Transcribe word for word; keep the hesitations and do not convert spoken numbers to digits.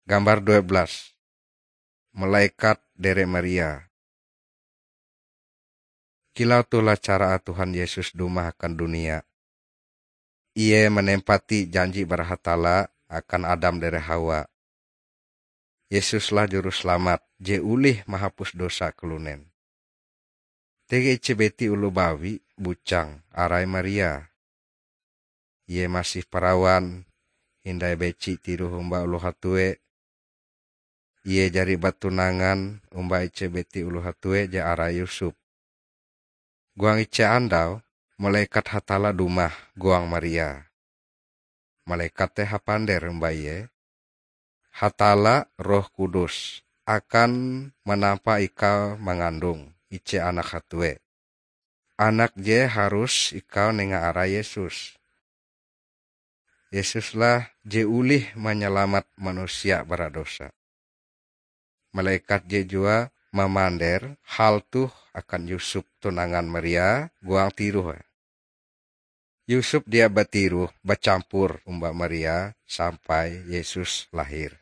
Gambar dua belas. Malaikat dere Maria. Kilau toh lah cara Tuhan Yesus dumah akan dunia. Ie manempati janji bara Hatalla akan Adam dere Hawa. Yesus lah Juruselamat je olih mahapus dosa kalunen. Tege ije biti oloh bawi bujang arai Maria. Ie masih parawan, hindai beci tiroh omba oloh hatue. Ie jari batunangan omba ije biti oloh hatue je arai Yusuf. Huang ije andau, malaikat Hatalla dumah huang Maria. Malaikat te hapander omba ie, "Hatalla Roh Kudus akan manampa ikau mangandung ije anak hatue. Anak je harus ikau nenga arai Yesus. Yesus lah je olih manyalamat manusia bara dosa." Malaikat je jua mamander hal toh akan Yusuf tunangan Maria huang tiroh. Yusuf dia batiroh bacampur omba Maria sampai Yesus lahir.